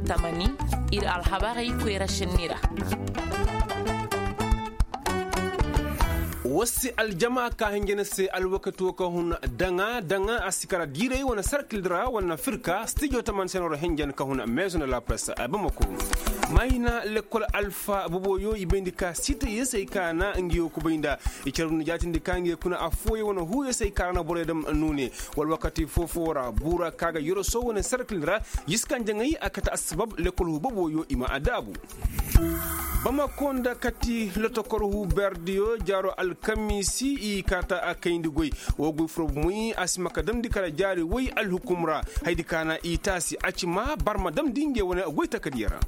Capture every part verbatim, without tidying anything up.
Tamani, ir alhabarey koyra šenni ra. War si aljama ka hinja ni se alwakati wo ka hun daŋa daŋa a si kara diiray wane sarkil ra wane firka stijo taman se no ra hinja ni ka hun meezo nda la presse a bamako. Mayna lekkol alfa boboyo i bayndi ka sitayey se ay ka na nga yo kubay nda i carbu nda jaatindi ka nga yo kuna affooyaŋ wane huuyey se ay ka ra na borey dam nuune. Wala wakati foo-foo ra buura ka ga yoroso wane sarkil ra, yiskanjaŋey a kate assabab lekkol huu boboyo i ma a daabu. Bamako nda kati lotokor huu berdiyo jaaro alkamiisi i kaata a kayndi goy. Woo goy furo bomoy a si ma ka damndi kala jaari woy alhukum ra. Haydi ka na i taasi a ci ma barma damndi ngey wane goy takadiyo ra.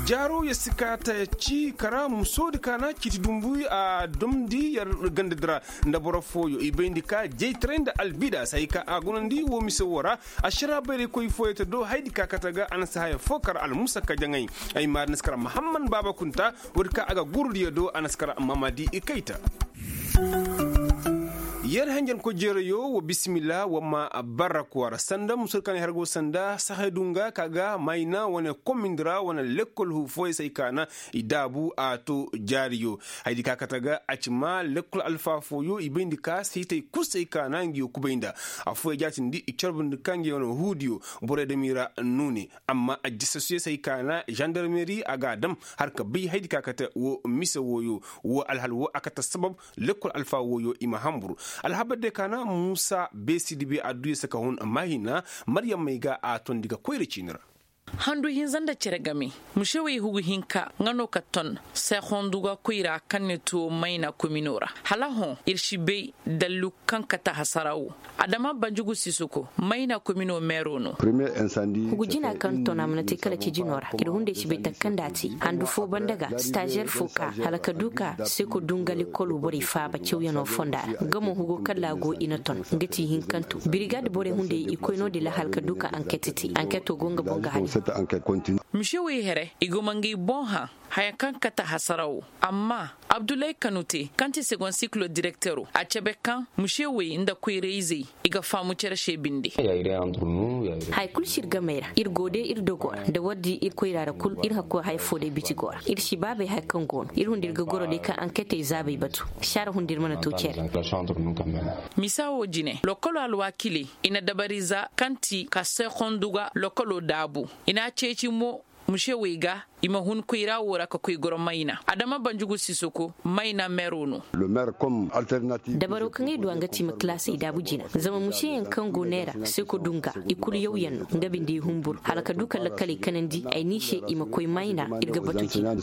Jaaro ya si kaata ci kara musoodi ka na ciiti dumbu a damndi yer gandadi ra. Nda boro fooyo i bayndi ka jaytaray nda albidas hay ka a gunandi woo mise woo ra. Ašaraa bayraykoy fooyo te do haydi ka kate ga a na si haya foo kara almusakka jaŋay. Ay maari na si kara mahamman baaba kunta. Woodi ka a ga gurudiyo do a na si kara mamadi i kayta. Yer henjankoy jeerayo wa bisimilla wa ma barraku a ra sanda musur kaŋ ay har go sanda sahay dunga ka ga mayna wane komindi ra wane lekkol huu fooyo se ay ka na i daabu a to jaariyo. Haydi ka kate ga a ci ma lekkol alfa fooyo i bayndi ka sitay kul se ay ka na nga yo kubay nda affooyaŋ jaatindi i carbundi ka nga yo no huudiyo. Borey dam i ra nuune. Amma ajjasasuyaŋ se ay ka na zandarmeri a ga a dam har ka bay haydi ka kate wo mise wooyo. Wo alhal wo a kate sabab lekkol alfa wooyo i ma hanbur. Alhabar de ka na muusa beesi dibi adduya se ka hun maahina. Maryam may ga a tondi ga koyra ciini ra. Handu hinza nda cere game. Musewey hugu hinka nga no ka ton seehondu ga koyra kaŋ ne tuwo mayna komino ra. Hala hõ ir si bay dallu kaŋ kate hasara wo. Adama banjugu sisoko mayna komino meero no. Hugu jina kaŋ ton a mana te kala cijino ra ir hunday si bay takka nda a te handu foo banda ga stazer foo ka hala ka du ka seko dungali kolu borey faaba cawyanoo fonda ra. Nga mo hugu kala a go i na ton nga ti hinkanto birigad borey hunday i koy no- din ra hala ka du ka anket te anketo go nga boŋ ga hari. Mise wey here i go ma ngay boŋ hã haya kaŋ kate hasara wo. Amma abdullahi kanute kaŋ ti segon siklo direktero a cabe kaŋ mise wey nda koyra-izey i ga faamu cere se binde. Haya kulu si ir gamey ra ir go de ir dogo ra nda war di ir koyra ra kul ir hakko haya foo day biti go ra ir si baabey haya kaŋ go no ir hunda ir ga goro day kaŋ anketey zaabey batu. Saara hunda ir mana to cere. Misa wo jine lokolo alwaakiley i na dabariza kaŋ ti ka seekondu ga lokolo daabu i n'a ceeci mo. Muse wey ga i ma hun koyra wo ra ka koy goro mayna adama banjugu sisoko mayna meero no. Dabaro kaŋ ay du a nga ti i ma kalaasey daabu jina zama museyaŋ kaŋ go neera seko dunga i kulu yawyaŋ no nga binde i humburu hala ka du ka lakkaley kanandi ay n'i se i ma koy mayna ir ga batu jina.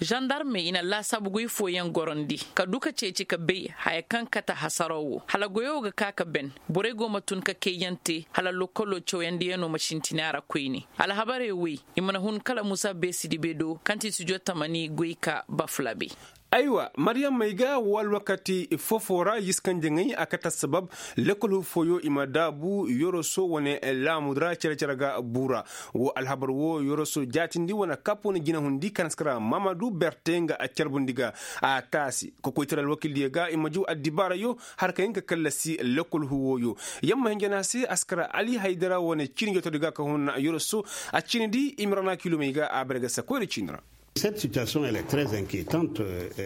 Zandarmey i na laasaabu goy fooyaŋ gorondi ka du ka ceeci ka bay haya kaŋ kate hasaraw wo hala goyo ga ka ka ben. Borey go ma tun ka kayyaŋ te hala lokkolo cawyandiyaŋo ma sintina ra koyne. Alhabarey wey i mana hun kala musa beesidi be do kaŋ ti studio tamani goy ka bafulabe. Aywa maryam may ga wo alwakati fofo ra yiskanjaŋey a kate assabab lekkol fooyo i ma daabu yoroso wane laamudu ra cere-cere ga buu ra. Wo alhabar wo yoroso jaatindi wane kapo na jinahundi kaŋ na si kara mamadu berte nga a carbundi ga a taasi ka koy tara alwakildiyo ga i ma juu addibaarayo. Har ka hin ka kallasi lekkol huwoyo. Yamma hinja no a se a si kara ali haydara wane ciini jootodi ga ka hun yoroso a ciini di i ma ra na kilomey ga a bare ga sakoyra ciini ra.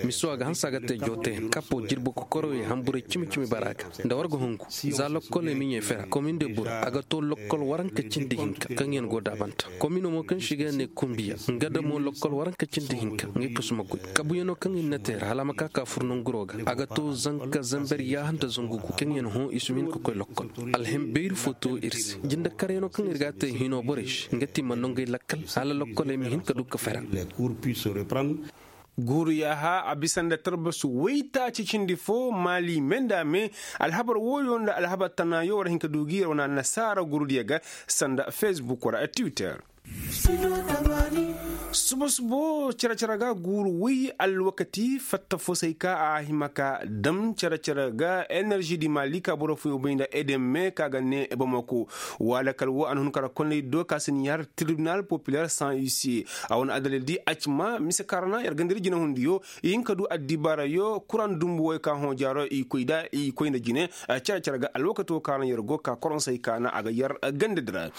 Miso a ga hanse a ga te jooteyaŋ kapo jirbi kokoroyey hanburay cimi-cimi bara ga nda war ga hungu. Za lokkoley ma ɲey fera komin de bura a ga to lokkol waranka cindi hinka kaŋ yaŋ go daabanta komino mo kaŋ se i ga ne kumbiya nga damo lokkol waranka cindi hinka ngey kasu ma goy. Kabuyaŋo kaŋ i na te ra hala a ma ka ka fur nanguro ga a ga to zanka zamber yaaha nda zangu gu kaŋ yaŋ hõ i si ma hin ka koy lokkol. Alhim bayri fo to ir se jinde karyaŋo kaŋ ir ga a te hino borey se nga ti ma nangey lakkal hala lokkoley ma hin ka du ka fera. Guuru yaaha a bisa nda tarbasu waytaaci cindi fo maali me nda me. Alhabar wooyo nda alhabar tanaayo war hin ka du gi yer wane annasaara guurudiyo ga sanda facebook wala twitter. Suba subo cere cere ga guuru woy alwakati fatta fo se ay ka a hima ka dam cere cere ga enerži di mali ka boro fooyaŋ bay nda edeme ka ga ne bamako. Wala kala wo a na hun kara konney do ka si ni har tribinal populer sans huissier. A wane adalil di a ci ma mise kaŋ ra na yer ganda di jinahundiyo i hin ka du addibaarayo kuraŋ dumbu woy ka hõ jaaro i koy nda i koy nda jine. Cere cere ga alwakato kaŋ ra yer go ka koroŋ se ay ka na a ga yer ganda di ra.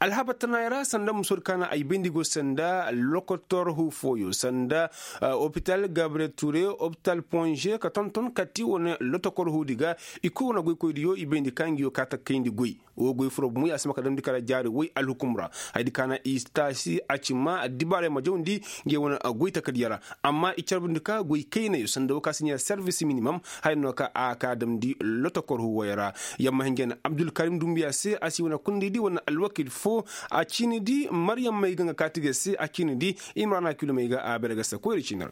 Alhabar tanaayey ra sanda musoodi ka na ay bayndi go sanda lokotor hu fooyo sanda opital gabriel ture opital ponge ka tonton kati wane lotokor huudi ga. I kulu wane goykoydiyo i bayndi ka ngiyo ka ta kayndi goy. Wo goy furo bumo ya si ma ka damndi kala jaari woy alhukum ra. Haydi ka na i taasi a ci ma addibaarey ma jawndi. Ngey wane goy takadiya ra. Amma i carbundi ka goy kaynayo sanda wo ka si ɲa servis minimum. Haya no ka a ka damndi lotokor huwey ra. Yamma hinja na abdulkarim dumbiya se a si wane kundey di wane alwakil fo. A ciini di maryam may ga nga kaati ga se a ciini di. Imrana kilo may ga a bere ga se koyri ciini ra.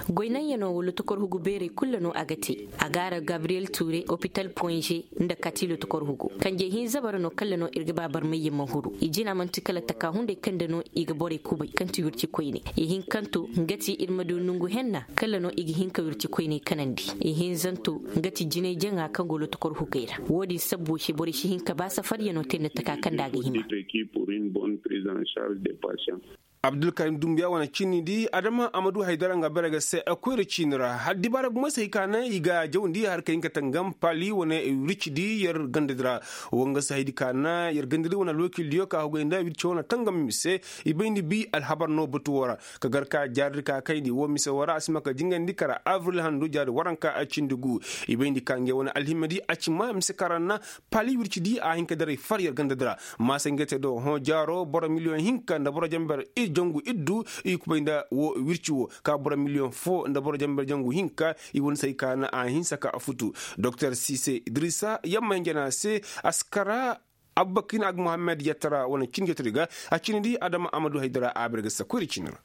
Goynaŋ yaŋo wala tokor hugu beerey kulu no a ga te. A gaara gabriyel ture opital ponge nda katilo tokor hugu. Kanje hinza bara no kalla no ir ga ba barmayyaŋ ma huru i jina manti kala taka hunday kaŋ da no i ga borey kubay kaŋ ti wirci koyne. I hin kaŋ to nga ti ir ma du nongu henna kalla no i ga hin ka wirci koyney kanandi. I hinzanto nga ti jinay jaŋa kaŋ go lotokor hugay ra. Wo-din sabbo se borey si hin ka ba safaryano te nda taka kaŋ da a ga hima. Abdulkarim dumbiya wane ciini di adama a ma du haydara nga bere ga se koyra ciini ra har dibaara gumo se hay ka naŋ i ga jawandi har ka hin ka tangam pali wane wirci di yer ganda di ra. Wo nga se haydi ka naŋ yer ganda di wane alwakil diyo ka hugay nda wirci wane tangam mise. I bayndi bi alhabar no batu wo ra ka gar ka jaari di ka kayndi wo mise wo ra a si ma ka jingandi kara avril handu jaari waranka a cindi gu. I bayndi ka ngey wane alhimma di a ci ma mise kaŋ ra na pali wirci di a hin ka daray far yer ganda di ra. Maasa ngey te do hõ jaaro boro miliyoŋ hinka nda boro jamber jangu iddu. I kubay nda wo wirci wo ka boro miliyoŋ fo nda boro jamber jangu hinka. I wane se hay ka naŋ a hinsa ka a futu. Doktor sise idrisa yamma hinja no a se a si kara. Abbakin ag muhammad yattara wane cin jotodi ga a cini di adama amadu haydara a bere ga sakoyri cini ra.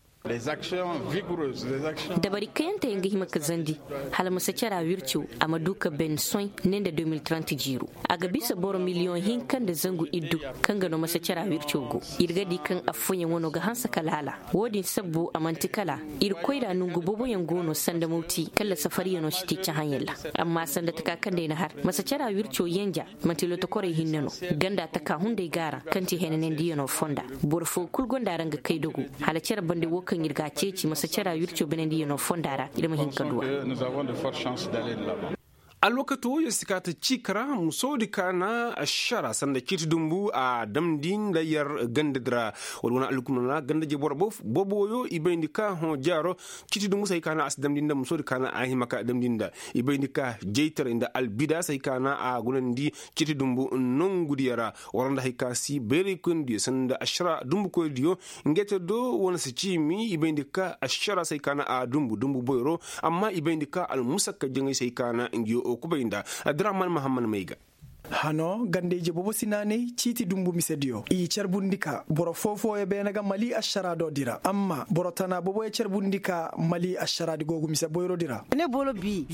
Dabari kayante yaŋ ga hima ka zandi hala masacara wirco a ma du ka ben soy ne nda deux mille trente jiiro. A ga bisa boro miliyoŋ hinka nda zangu iddu kaŋ ga no masacara wirco go. Ir ga di kaŋ affooyaŋ wano ga hanse ka laala. Wo-din sabbu a manti kala ir koyra nongu booboyaŋ go no sanda mawti kala safaryaŋo si te cahãyaŋ ra. Amma sanda taka kaŋ day na har masacara wirco yanja. Manti lotokorey hinne no ganda taka hunday gaaraŋ kaŋ ti henanandiyaŋo fonda. Boro fo kul gonda ra nga kay dogo hala care bande wo kaŋ ir ga a ceeci masacara wirco benandiyaŋo fonda ra ir ma hin ka du a. Alwakato wo yer si ka ta ciika ra musoodi ka na ašara sanda ciiti dumbu a damndi nda yer ganda di ra. Wala wane alhukumna ganda je boro boobo wo yo i bayndi ka hõ jaaro. Ciiti dumbu se hay ka na a si damndi nda musoodi ka na a hima ka damndi nda i bayndi ka jaytaray nda albida se hay ka na a gunandi. Ciiti dumbu nongudiyo ra wara nda hay ka si bayray koynidiyo sanda ašara dumbu koynidiyo. Ngey te do wane si ciimi i bayndi ka ašara se hay ka na a dumbu dumbu boyro. Amma i bayndi ka almusakka jaŋay se hay ka na ngiyo kubay nda. Abdurahman mahamman may ga. Hano ganda ije boobo si naanay ciiti dumbu misediyo i carbundi ka boro foo-fooyo beene ga mali ašara do di ra amma boro tana booboyo carbundi ka mali ašara di go ga mise boyro di ra.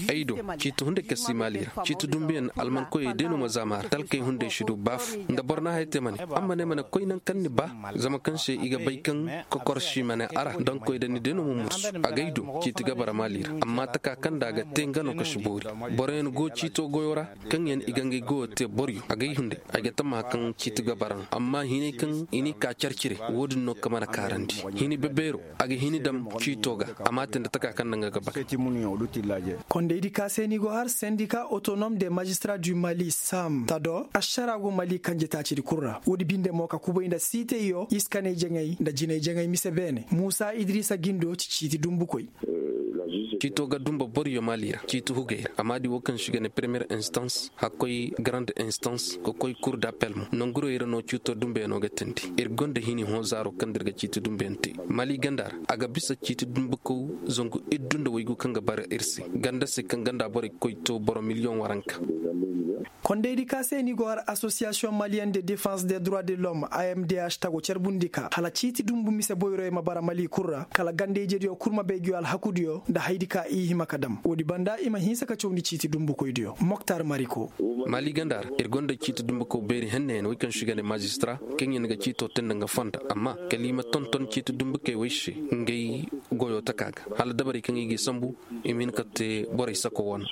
Ay do ciiti hunday kaŋ si maali ra ciiti dumbuyaŋ almankoyey day no ma zaama ra talkey hunday si du ba fo nda boro na haya te ma ne amma ne ma ne koy naŋ kaŋ ni ba. Zama kaŋ se i ga bay kaŋ kokor si ma ne a ra daŋ koy da ni day no ma mursu a gay do ciiti gabara maali ra amma taka kaŋ nda a ga te nga no ka si boori. Boroyaŋ go ciito goyo ra kaŋ yaŋ i ga ngey goyo te boryo a gay hunday. Ay ga tammaha kaŋ ciiti gabara no amma hinay kaŋ i n'i ka carcire wo-din no ka mana kaarandi hini bebeero a ga hini dam ciito ga. A ma te nda taka kaŋ nda nga ga bakay. Kondaydi ka se ni go har sendika autonom de magistra du mali sam tado ašara go mali kanje taacidi kul ra woodi binde mo ka kubay nda siitayyo iskanay jaŋay nda jinay jaŋay mise beene muusa idrisa gindo ci ciiti dumbukoy. Ciito ga dumba boryo mali ra ciiti hugay ra a ma di wo kaŋ si ga ne premiyer instans hakkoy garande instans ka koy kur d'appel mo nangurey ra no ciito dumbayaŋo ga teendi. Ir gonda hini hõ zaaro kaŋ nda ir ga ciiti dumbayaŋ te mali ganda ra a ga bisa ciiti dumbukaw zangu iddu nda waygu kaŋ ga bara ir se ganda se kaŋ ganda borey koy to boro miliyoŋ waranka. Kondaydi ka se ni go har asosiyasiyoŋ maliyen de defans de droit de lom a m d h tago carbundi ka hala ciiti dumbu mise boyroyo ma bara mali kul ra kala ganda-ijediyo kul ma bay nguyo alhakudiyo nda hayadi ka i hima ka dam woodi banda i ma hinsa ka cawndi ciiti dumbukoydiyo moktar mariko. Mali ganda ra ir gonda ciiti dumbuko beeri henneyaŋ wey kaŋ se i ga ne mazistra kaŋ yaŋ ga ciito te nda nga fonda amma kala i ma tonton ciiti dumbukey wey se ngey goyo taka ga hala dabarey kaŋ i g'i sambu i ma hin ka te borey sako wane.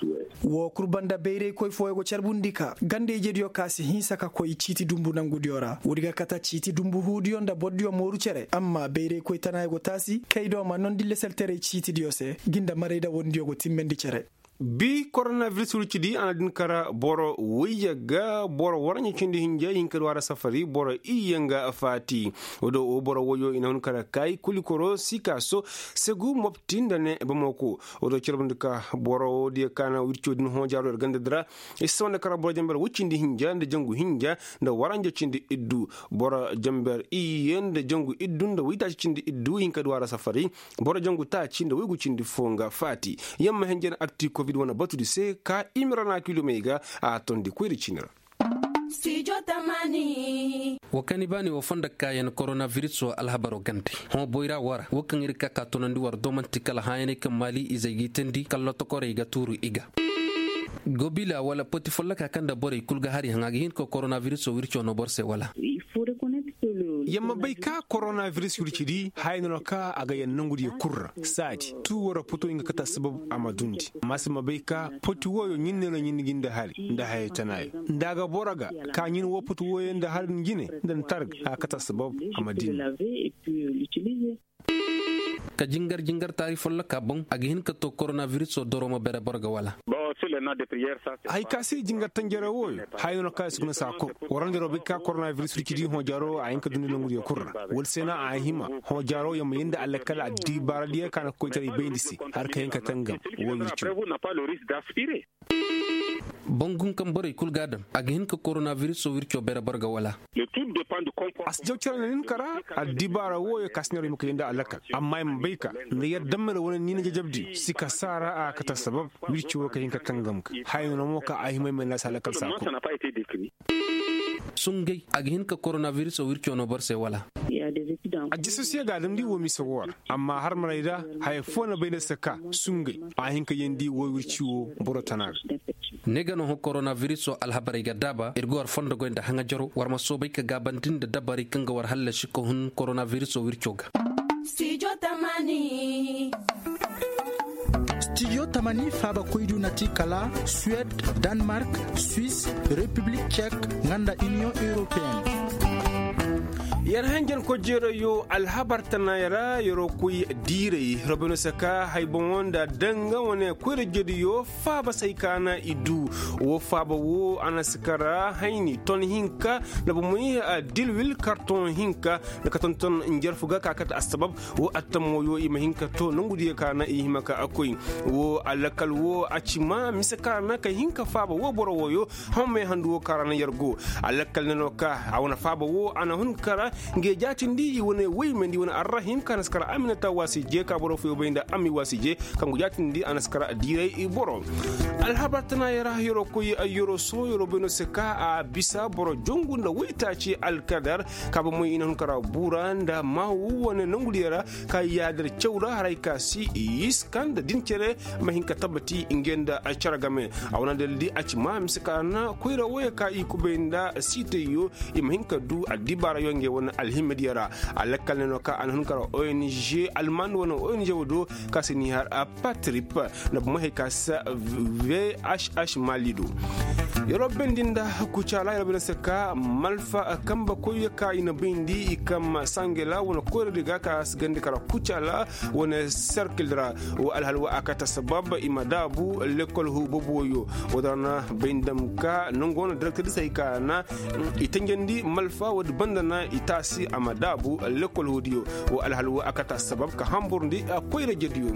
Woo kul banda bayraykoy fooyaŋ go carbundi ka ganda-ijediyo ka si hinsa ka koy ciiti dumbu nangudiyo ra woodi ga kata ciiti dumbu huudiyo nda bordiyo mooru cere amma bayraykoy tanaayaŋ go taasi kay do ma nondi leseltaray ciitidiyo se ngi nda marayda wondiyo go timmandi cere. Bi koronabiris wircidi a na din kara boro woyye ga boro waranja cindi hinja i hin ka du a ra safari boro iyye nga faati. Woo do woo boro woyyo i na hun kara kaayi kulikoro sikaso segu mopti nda ne bamako. Woo do carbundi ka boro woodiyo ka na wirco din hoojaaro ir ganda di ra i si sawanda kara boro jamber woy cindi hinja nda jangu hinja nda waranja cindi iddu. Boro jamber iyye nda jangu iddu nda woytaaci cindi iddu i hin ka du a ra safari. Boro jangu taaci nda woygu cindi foo nga faati. Yamma henjen arti kobid wane batudi se ka i ma rana kilomey ga a tondi koyri cini ra. Woo kaŋ ni baani woo fondo kaayaŋ koronabiris woo alhabaro gande hõ boyra woo ra woo kaŋ ir ga ka ka tunandi war do man'ti kala hãyaney kaŋ maali izey g'i teendi kala lotokorey ga tuuru i ga. Gobila wala poti folloka kaŋ nda borey kul ga har i haŋ a ga hin ka koronabiris woo wirco no boro se wala? Yamma bay ka koronabiris wircidi haya no no ka a ga yaŋ nongudiyo kul ra saadi tuu wara poto nga kata sabab a ma dundi. Amma si ma bay ka poti wooyo ɲin ne no ɲin gi nda hari nda haya tanaayo nda a ga boro ga ka ɲin woo poti wooyo nda hari nda jine nda nda targa a kata sabab a ma dini. Ka jingar jingar taari folloka boŋ a ga hin ka to koronabiris woo doro ma bere boro ga wala? Hay ka se jingar tanjare wooyo haya no no ka i si guna saa kor. Warandi robey ka koronabiris wircidi hõ jaaro a hin ka dundi nongudiyo kul ra wala se no a hima hõ jaaro yamma yee nda alakal addibaaradiyo ka na koytaray bayndi se har ka hin ka tangam woo wirco. Boŋ gun kaŋ borey kul ga a daŋ a ga hin ka koronabiris woo wirco bere boro ga wala? A si jaw cere na nin kara addibaara wooyo ka si neera i ma kay nda alakal amma i ma bay ka nda yar dammel wane niina jajabdi si ka saara a kate assabab wirci woo ka hin ka tangam ga haya no no mo ka a hima i ma naasi alakal saako. Sungay a ga hin ka koronabiris woo wirco no boro se wala? Ajjasosiye ga a damndi woo mise woo ra amma harmarey ra haya foo na bay nda se ka sungay a hin ka yeendi woo wirci woo boro tana ga. Ne ga no hõ koronabiris woo alhabarey ga daaba ir ga war fondo goy nda haŋajaro war ma soobay ka gaabandi nda dabarey kaŋ ga war hallasi ka hun koronabiris woo wirco ga. Stijo tamani faaba koydu na ti kala suwed, danmark, suis, repiblik cek, nga nda iniyoŋ europeen. Yer hanjan kojeerayo alhabar tanaaya ra yeroo koy diiray robino se ka hay boŋo nda danga wane koyra jediyo faaba say ka na i du. Woo faaba woo a na si kara hayni ton hinka nda bomey dilwil kartoŋo hinka nda ka tonton njarfu ga ka kate assabab. Woo attamoyo i ma hin ka to nongudiyo ka na i hima ka koy. Woo alakal woo a ci ma mise ka na ka hin ka faaba woo boro wooyo. Hammey handu woo ka ra na yer go. Alakal ne no ka a wane faaba woo a na hun ka ra. Nge jaatindi i wane woymandi i wane arrahim ka na si kara aminata waasi je ka boro foyo bay nda ammi waasi je. Kaŋ go jaatindi a na si kara diiray i boro. Alhabar tana yer ra yeroo koy yeroo soo yeroo bay no se ka a bisa boro jongu nda woytaaci alkadar. Ka ba moy i na hun ka ra buura nda maawu wane nongudiyo ra. Ka yaadar caw ra haray ka si i iska nda din cere ma hin ka tabbati nge nda cere game. A wane daldi a ci ma mise ka na koyra wooyo ka i kubay nda siitayyo. I ma hin ka du addibaarayo nge wane alhimadiyo ra. Alakkal ne no ka a na hun ka ra ong alman wane ong woo do ka si ni har a patrip nda bumey hay ka si vhh malido. Yeroo bendi nda kucaala yeroo bendi se ka malfa kambe koyyo ka i na bayndi i kam sangela wane koyradi ga ka si gandi kara kucaala wane serkil ra. Woo alhal woo a kate sabab i ma daabu lekol huu boboyo. Woo da na bay ndam ka nongo na direktirisey ka na i tanjandi malfa woodi banda na i taasi a ma daabu lekol huudiyo. Woo alhal woo a kate sabab ka hamburndi koyra jediyo.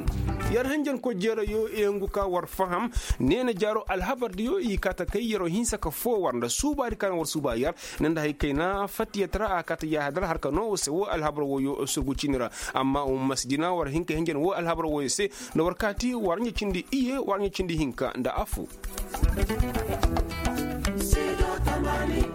Yer hanjankoy jeerayo i ngu ka war faham. Neena jaaro alhabardiyo i kaate kay yeroo hinsa ka foo war nda suubaadi ka na war suuba yer. Ne nda hay kayna fattiyat ra a kaate yaahadar har ka noo woo se woo alhabar wooyo surgu cini ra. Amma woo ma si jina war hin ka hinjan woo alhabar wooyo se. Nda war kaati war ɲa cindi iye war ɲa cindi hinka nda affu. Amaani.